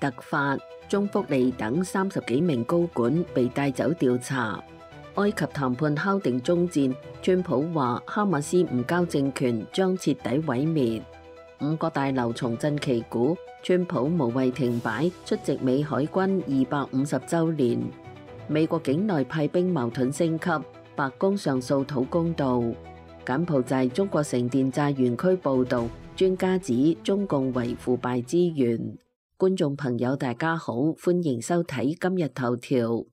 突發，中福利等30幾名高管被帶走調查。埃及談判敲定終戰，川普話哈馬斯唔交政權將徹底毀滅。5個大樓重振旗鼓，川普無謂停擺出席美海軍250週年。美國境內派兵矛盾升級，白宮上訴討公道。柬埔寨中國城電債園區報導，專家指中共為腐敗之源。觀眾朋友大家好，歡迎收睇今日頭條。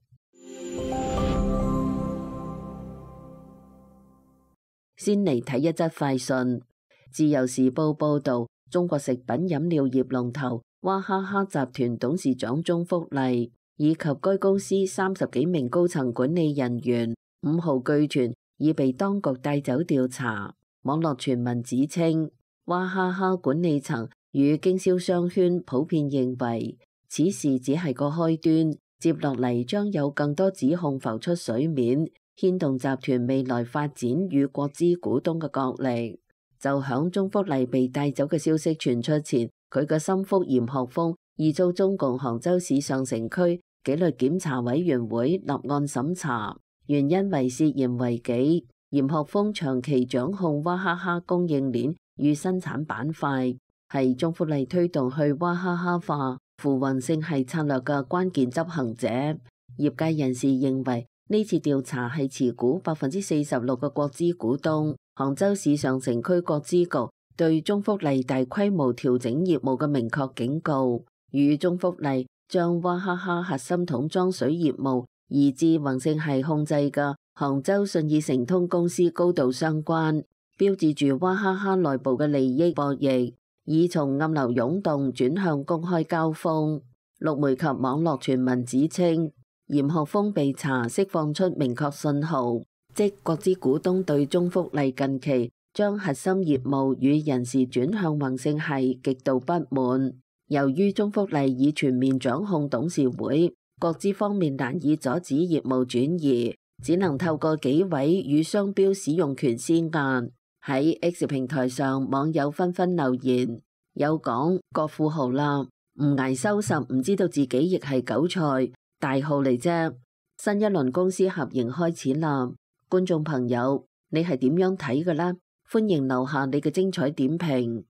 先嚟睇一則快訊。自由時報報導，中國食品飲料業龍頭娃哈哈集團董事長鍾福麗以及該公司30幾名高層管理人員5號據傳已被當局帶走調查。網絡傳聞指稱，娃哈哈管理層與經銷商圈普遍認為此事只係個開端，接落嚟將有更多指控浮出水面，牽動集團未來發展與國資股東嘅角力。就響鍾福麗被帶走嘅消息傳出前，佢嘅心腹嚴學鋒已遭中共杭州市上城區紀律檢查委員會立案審查，原因為涉嫌違紀。嚴學鋒長期掌控娃哈哈供應鏈與生產板塊，係鍾福麗推動去娃哈哈化扶穩性系策略嘅關鍵執行者。業界人士認為呢次調查係持股46%嘅國資股東杭州市上城區國資局對鍾福麗大規模調整業務嘅明確警告，與鍾福麗將娃哈哈核心桶裝水業務移至宏盛系控制嘅杭州信義成通公司高度相關，標誌住娃哈哈內部嘅利益博弈已從暗流湧動轉向公開交鋒。陸媒及網絡傳聞指稱，嚴學鋒被查釋放出明確信號，即國資股東對鍾福麗近期將核心業務與人事轉向宏盛系極度不滿。由於鍾福麗已全面掌控董事會，國資方面難以阻止業務轉移，只能透過幾位與商標使用權施壓。喺 X 平台上，網友紛紛留言，有講國富豪啦，唔捱收拾，唔知道自己亦係韭菜，大號嚟啫。新一輪公司合營開始啦。觀眾朋友，你係點樣睇嘅呢？歡迎留下你嘅精彩點評。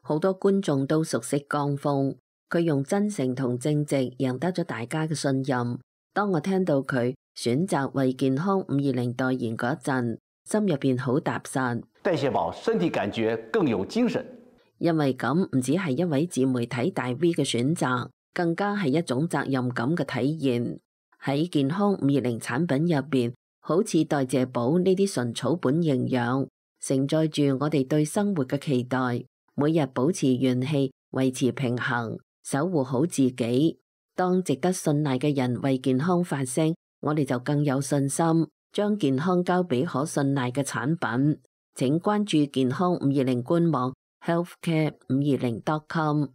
好多觀眾都熟悉江峰，佢用真誠同正直贏得咗大家嘅信任。當我聽到佢選擇為健康520代言嗰陣，心入邊好踏實。代謝寶身體感覺更有精神。因為咁唔只係一位自媒體大 V 嘅選擇，更加係一種責任感嘅體現。喺健康520產品入邊，好似代謝寶呢啲純草本營養，承載住我哋對生活嘅期待，每日保持元氣，維持平衡，守護好自己。當值得信賴嘅人為健康發聲，我哋就更有信心，將健康交俾可信賴嘅產品。請關注健康520官網 healthcare520.com。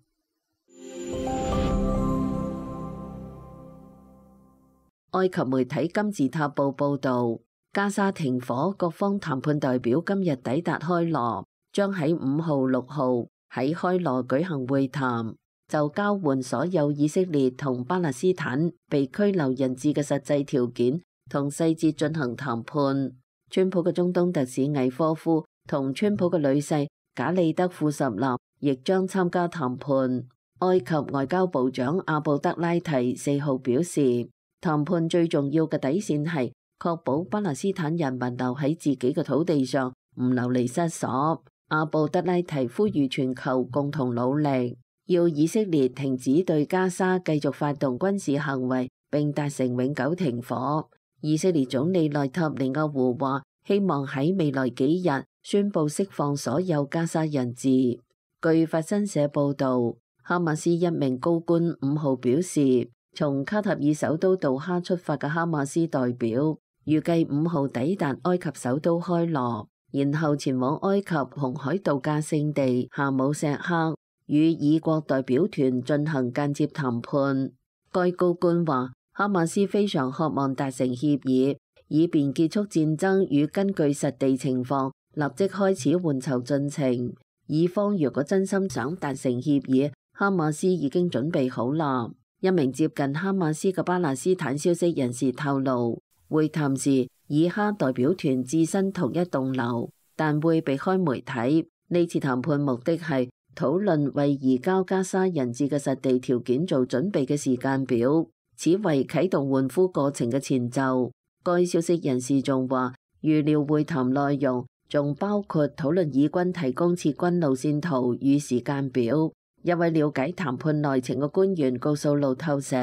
埃及媒體金字塔報報導，加沙停火，各方談判代表今日抵達開羅，將喺5號、6號喺開羅舉行會談，就交換所有以色列同巴勒斯坦被拘留人質嘅實際條件同細節進行談判。川普嘅中東特使魏科夫同川普嘅女婿賈利德庫什納亦將參加談判。埃及外交部長阿布德拉提4號表示，談判最重要嘅底線係確保巴勒斯坦人民留喺自己嘅土地上，唔流離失所。阿布德拉提呼籲全球共同努力，要以色列停止對加沙繼續發動軍事行為，並達成永久停火。以色列總理內塔尼亞胡話，希望喺未來幾日宣布釋放所有加沙人質。據法新社報導，哈馬斯一名高官5號表示，從卡塔爾首都杜哈出發嘅哈馬斯代表預計5號抵達埃及首都開羅，然後前往埃及紅海度假勝地夏姆錫克，與以國代表團進行間接談判。該高官話，哈馬斯非常渴望達成協議，以便結束戰爭與根據實地情況立即開始換囚進程。以方如果真心想達成協議，哈哈馬斯已經準備好啦。一名接近哈馬斯嘅巴勒斯坦消息人士透露，會談時以哈代表團置身同一棟樓，但會避開媒體。呢次談判目的係討論為移交加沙人質嘅實地條件做準備嘅時間表，此為啟動換俘過程嘅前奏。該消息人士仲話，預料會談內容仲包括討論以軍提供撤軍路線圖與時間表。一位了解談判內情嘅官員告訴路透社，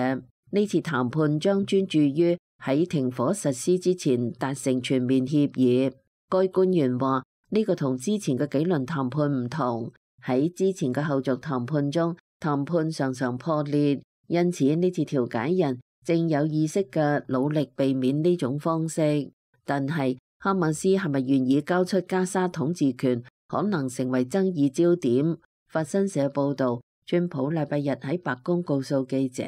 呢次談判將專注於喺停火實施之前達成全面協議。該官員話，呢個同之前嘅幾輪談判唔同，喺之前嘅後續談判中，談判常常破裂，因此呢次調解人正有意識嘅努力避免呢種方式。但係哈馬斯係咪願意交出加沙統治權，可能成為爭議焦點。法新社報導，川普禮拜日喺白宮告訴記者，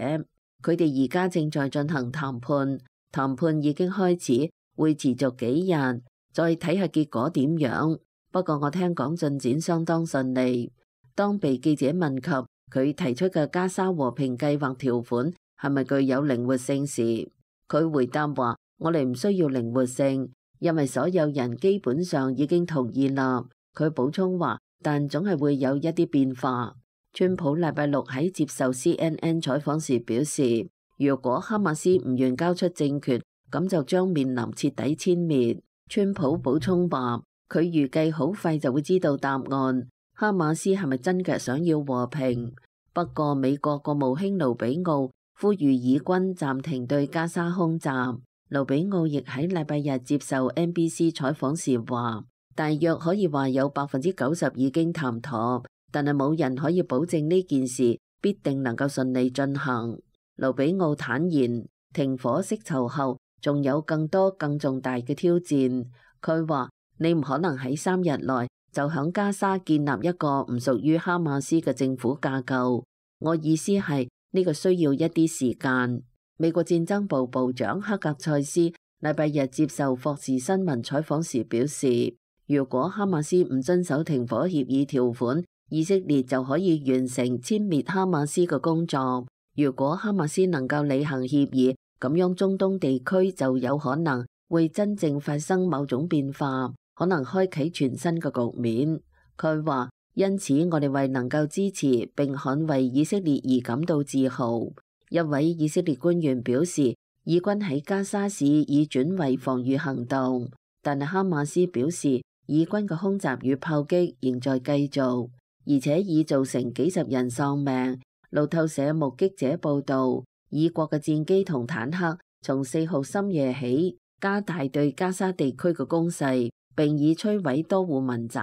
佢哋而家正在進行談判，談判已經開始，會持續幾日，再睇下結果點樣。不過我聽講進展相當順利。當被記者問及佢提出嘅加沙和平計劃條款係咪具有靈活性時，佢回答話：我哋唔需要靈活性，因為所有人基本上已經同意啦。佢補充話，但總係會有一啲變化。川普禮拜六喺接受 CNN 採訪時表示，如果哈馬斯唔願交出政權，咁就將面臨徹底殲滅。川普補充話，佢預計好快就會知道答案。哈馬斯係咪真嘅想要和平？不過美國國務卿盧比奧呼籲以軍暫停對加沙空襲。盧比奧亦喺禮拜日接受 NBC 採訪時話，大約可以話有90%已經談妥，但係冇人可以保證呢件事必定能夠順利進行。盧比奧坦言，停火釋囚後仲有更多更重大嘅挑戰。佢話，你唔可能喺3日內就響加沙建立一個唔屬於哈馬斯嘅政府架構。我意思係呢個需要一啲時間。美國戰爭部部長克格塞斯禮拜日接受霍士新聞採訪時表示，如果哈馬斯唔遵守停火協議條款，以色列就可以完成殲滅哈馬斯嘅工作。如果哈馬斯能夠履行協議，咁樣中東地區就有可能會真正發生某種變化，可能開啟全新嘅局面。佢話，因此我哋為能夠支持並捍衛以色列而感到自豪。一位以色列官員表示，以軍喺加沙市已轉為防禦行動，但係哈馬斯表示，以軍嘅空襲與炮擊仍在繼續，而且已造成幾十人喪命。路透社目擊者報道，以國嘅戰機同坦克從4號深夜起加大對加沙地區嘅攻勢，並已摧毀多戶民宅。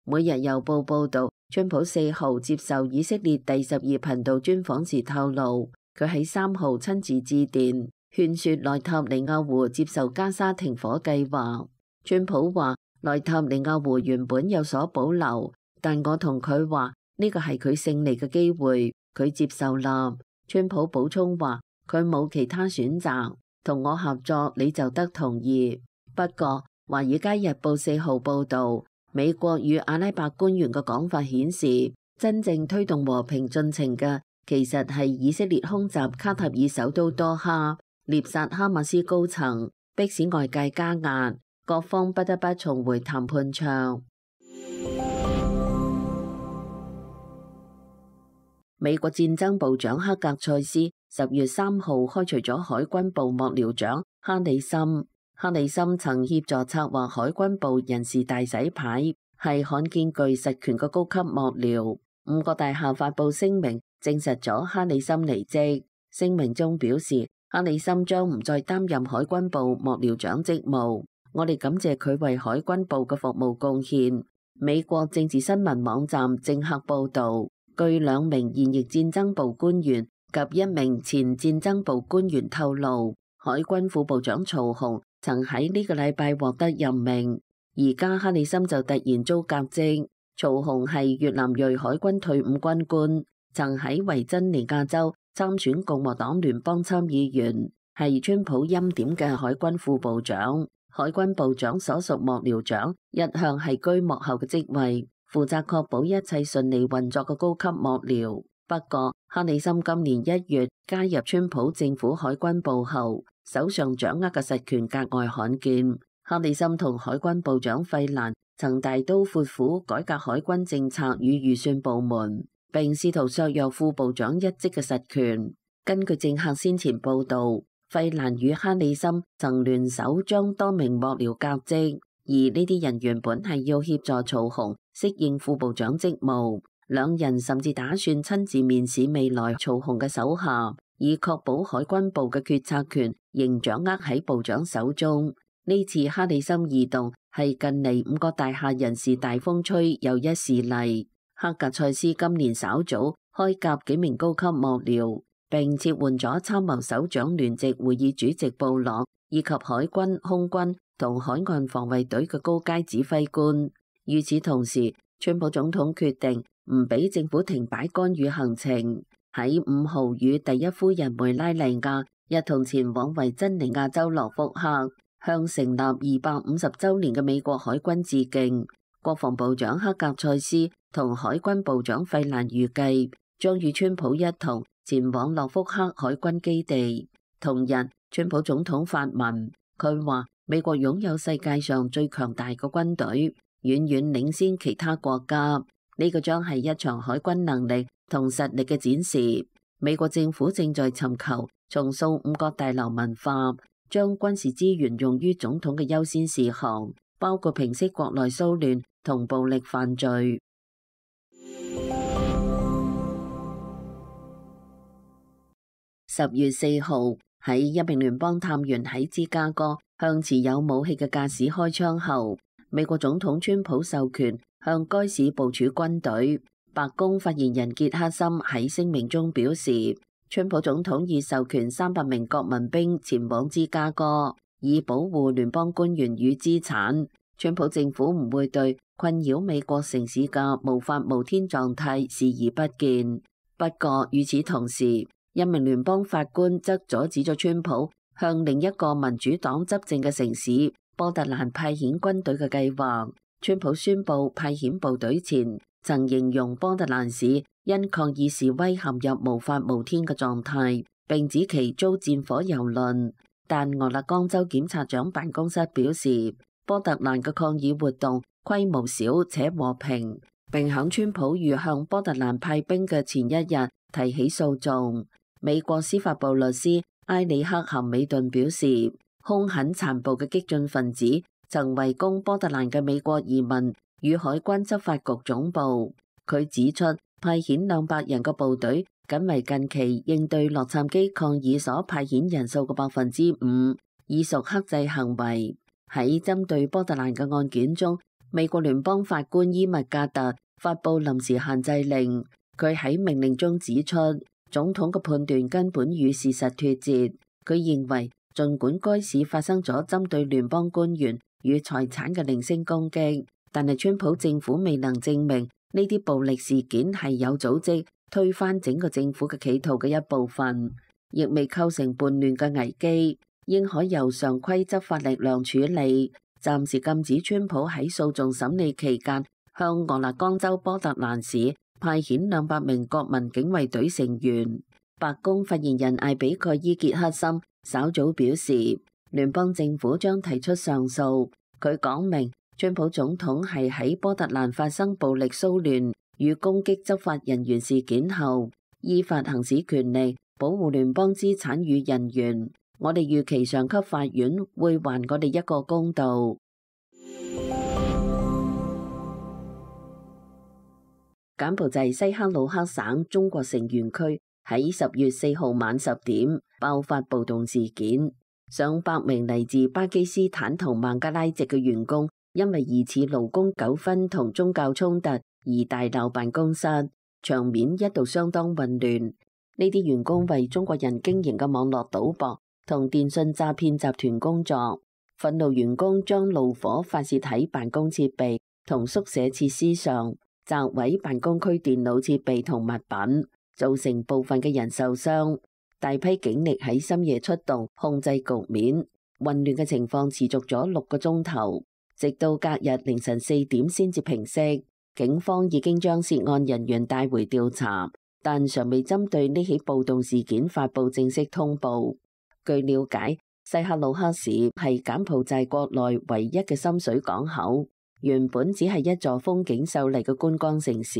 每日郵報報道，川普4號接受以色列第12頻道專訪時透露，佢喺3號親自致電勸說內塔尼亞胡接受加沙停火計劃。川普話，內塔尼亞胡原本有所保留，但我同佢話呢個係佢勝利嘅機會，佢接受啦。川普補充話，佢冇其他選擇，同我合作你就得同意。不過華爾街日報4號報道，美國與阿拉伯官員嘅講法顯示，真正推動和平進程嘅其實係以色列空襲卡塔爾首都多哈，獵殺哈馬斯高層，迫使外界加壓，各方不得不重回談判桌。美國戰爭部長克格塞斯10月3號開除咗海軍部幕僚長哈里森。哈里森曾協助策劃海軍部人事大洗牌，係罕見具實權嘅高級幕僚。5個大廈發佈聲明證實咗哈里森離職。聲明中表示，哈里森將唔再擔任海軍部幕僚長職務。我哋感謝佢為海軍部嘅服務貢獻。美國政治新聞網站政客報導，據2名現役戰爭部官員及1名前戰爭部官員透露，海軍副部長曹洪曾喺呢個禮拜獲得任命，而家哈里森就突然遭革職。曹洪係越南裔海軍退伍軍官，曾喺維珍尼亞州參選共和黨聯邦參議員，係川普欽點嘅海軍副部長。海軍部長所屬幕僚長一向係居幕後嘅職位，負責確保一切順利運作嘅高級幕僚。不過，克里森今年1月加入川普政府海軍部後，手上掌握嘅實權格外罕見。克里森同海軍部長費蘭曾大刀闊斧改革海軍政策與預算部門，並試圖削弱副部長一職嘅實權。根據政客先前報導，費蘭與克里森曾聯手將多名幕僚革職，而呢啲人原本係要協助曹洪適應副部長職務。兩人甚至打算親自面試未來曹洪嘅手下，以確保海軍部嘅決策權仍掌握喺部長手中。呢次克里森異動係近嚟5個大廈人事大風吹又一事例。克格塞斯今年稍早開甲幾名高級幕僚，並撤換咗參謀首長聯席會議主席布洛，以及海軍、空軍同海岸防衛隊嘅高階指揮官。與此同時，川普總統決定唔俾政府停擺干預行程，喺5號與第一夫人梅拉尼亞一同前往維珍尼亞州諾福克，向成立250週年嘅美國海軍致敬。國防部長克格塞斯同海軍部長費蘭預計將與川普一同前往諾福克海軍基地。同日，川普總統發文，佢話美國擁有世界上最強大嘅軍隊，遠遠領先其他國家。呢個將係一場海軍能力同實力嘅展示。美國政府正在尋求重塑5角大樓文化，將軍事資源用於總統嘅優先事項，包括平息國內騷亂同暴力犯罪。10月4號，喺一名聯邦探員喺芝加哥向持有武器嘅駕駛開槍後，美國總統川普授權向該市部署軍隊。白宮發言人傑克森喺聲明中表示，川普總統已授權300名國民兵前往芝加哥，以保護聯邦官員與資產。川普政府唔會對困擾美國城市嘅無法無天狀態視而不見。不過與此同時，一名聯邦法官則阻止咗川普向另一個民主黨執政嘅城市波特蘭派遣軍隊嘅計劃。川普宣布派遣部隊前，曾形容波特蘭市因抗議示威陷入無法無天嘅狀態，並指其遭戰火蹂躪。但俄勒岡州檢察長辦公室表示，波特蘭嘅抗議活動規模小且和平，並響川普預向波特蘭派兵嘅前一日提起訴訟。美國司法部律師埃里克含美頓表示，兇狠殘暴嘅激進分子曾圍攻波特蘭嘅美國移民與海軍執法局總部。佢指出，派遣200人嘅部隊僅為近期應對洛杉磯抗議所派遣人數嘅5%，已屬克制行為。喺針對波特蘭嘅案件中，美國聯邦法官伊密格特發布臨時限制令。佢喺命令中指出，總統嘅判斷根本與事實脫節。佢認為，儘管該市發生咗針對聯邦官員與財產嘅零星攻擊，但係川普政府未能證明呢啲暴力事件係有組織推翻整個政府嘅企圖嘅一部分，亦未構成叛亂嘅危機，應可由常規執法力量處理。暫時禁止川普喺訴訟審理期間向俄勒岡州波特蘭市派遣200名國民警衛隊成員。白宮發言人艾比蓋伊傑克森稍早表示，聯邦政府將提出上訴。佢講明，川普總統係喺波特蘭發生暴力騷亂與攻擊執法人員事件後，依法行使權力保護聯邦資產與人員。我哋預期上級法院會還我哋一個公道。柬埔寨西克魯克省中國城園區喺10月4號晚10點爆發暴動事件，上百名嚟自巴基斯坦同孟加拉籍嘅員工因為疑似勞工糾紛同宗教衝突而大鬧辦公室，場面一度相當混亂。呢啲員工為中國人經營嘅網絡賭博同電信詐騙集團工作，憤怒員工將怒火發泄喺辦公設備同宿舍設施上，砸毀辦公區電腦設備同物品，造成部分嘅人受傷。大批警力喺深夜出動控制局面，混亂嘅情況持續咗6個鐘頭，直到隔日凌晨4點先至平息。警方已經將涉案人員帶回調查，但尚未針對呢起暴動事件發布正式通報。據了解，西克魯克市係柬埔寨國內唯一嘅深水港口，原本只係一座風景秀麗嘅觀光城市，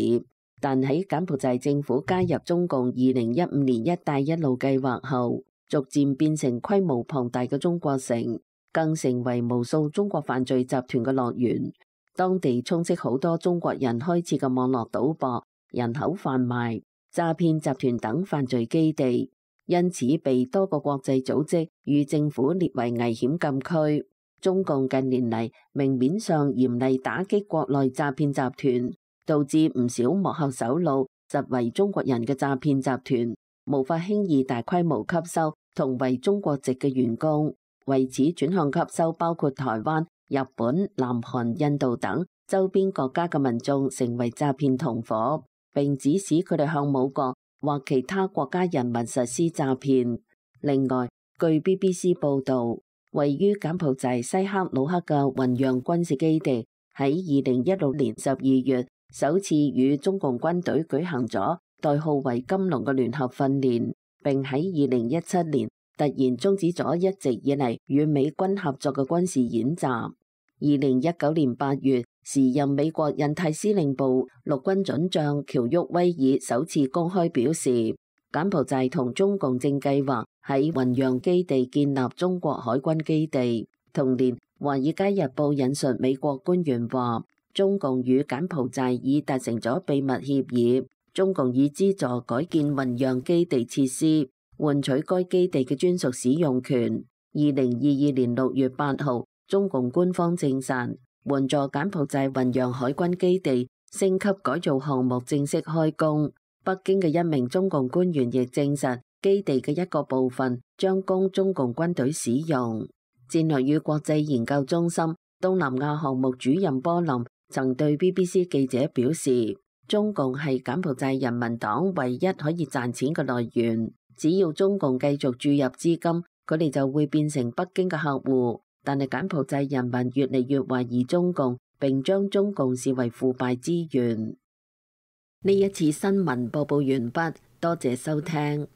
但喺柬埔寨政府加入中共2015年一帶一路計劃後，逐漸變成規模龐大嘅中國城，更成為無數中國犯罪集團嘅樂園。當地充斥好多中國人開設嘅網絡賭博、人口販賣、詐騙集團等犯罪基地，因此被多個國際組織與政府列為危險禁區。中共近年嚟明面上嚴厲打擊國內詐騙集團，導致唔少幕後首腦實為中國人嘅詐騙集團無法輕易大規模吸收同為中國籍嘅員工，為此轉向吸收包括台灣、日本、南韓、印度等周邊國家嘅民眾成為詐騙同夥，並指使佢哋向母國或其他國家人民實施詐騙。另外，據 BBC 報導，位於柬埔寨西克魯克嘅雲陽軍事基地喺2016年12月首次與中共軍隊舉行咗代號為金龍嘅聯合訓練，並喺2017年突然終止咗一直以嚟與美軍合作嘅軍事演習。2019年8月，時任美國印太司令部陸軍准將喬沃威爾首次公開表示，柬埔寨同中共正計劃喺雲陽基地建立中國海軍基地。同年，《華爾街日報》引述美國官員話，中共與柬埔寨已達成咗秘密協議，中共已資助改建雲陽基地設施，換取該基地嘅專屬使用權。2022年6月8號，中共官方證實，援助柬埔寨雲陽海軍基地升級改造項目正式開工。北京嘅一名中共官員亦證實，基地嘅一個部分將供中共軍隊使用。戰略與國際研究中心東南亞項目主任波林曾對 BBC 記者表示，中共係柬埔寨人民黨唯一可以賺錢嘅來源，只要中共繼續注入資金，佢哋就會變成北京嘅客戶。但係柬埔寨人民越嚟越懷疑中共，並將中共視為腐敗資源。呢一次新聞播報完畢，多謝收聽。